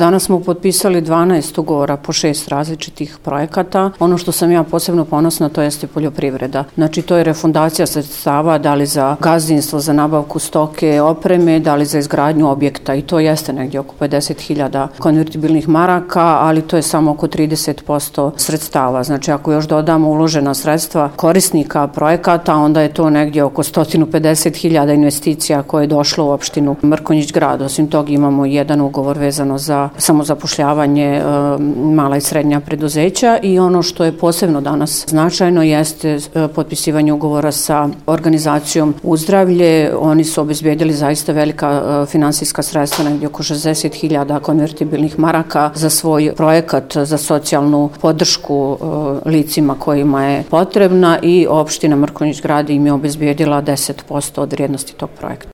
Danas smo potpisali 12 ugovora po 6 različitih projekata. Ono što sam ja posebno ponosna, to jeste poljoprivreda. Znači, to je refundacija sredstava, da li za gazdinstvo, za nabavku stoke, opreme, da li za izgradnju objekta, i to jeste negdje oko 50.000 konvertibilnih maraka, ali to je samo oko 30% sredstava. Znači, ako još dodamo uložena sredstva korisnika projekata, onda je to negdje oko 150.000 investicija koje je došlo u opštinu Mrkonjić Grad. Osim toga imamo jedan ugovor vezano za samozapošljavanje mala i srednja preduzeća, i ono što je posebno danas značajno jeste potpisivanje ugovora sa organizacijom Uzdravlje. Oni su obezbedili zaista velika finansijska sredstva, negdje oko 60.000 konvertibilnih maraka za svoj projekat za socijalnu podršku licima kojima je potrebna, i opština Mrkonjić Grad im je obezbedila 10% od vrijednosti tog projekta.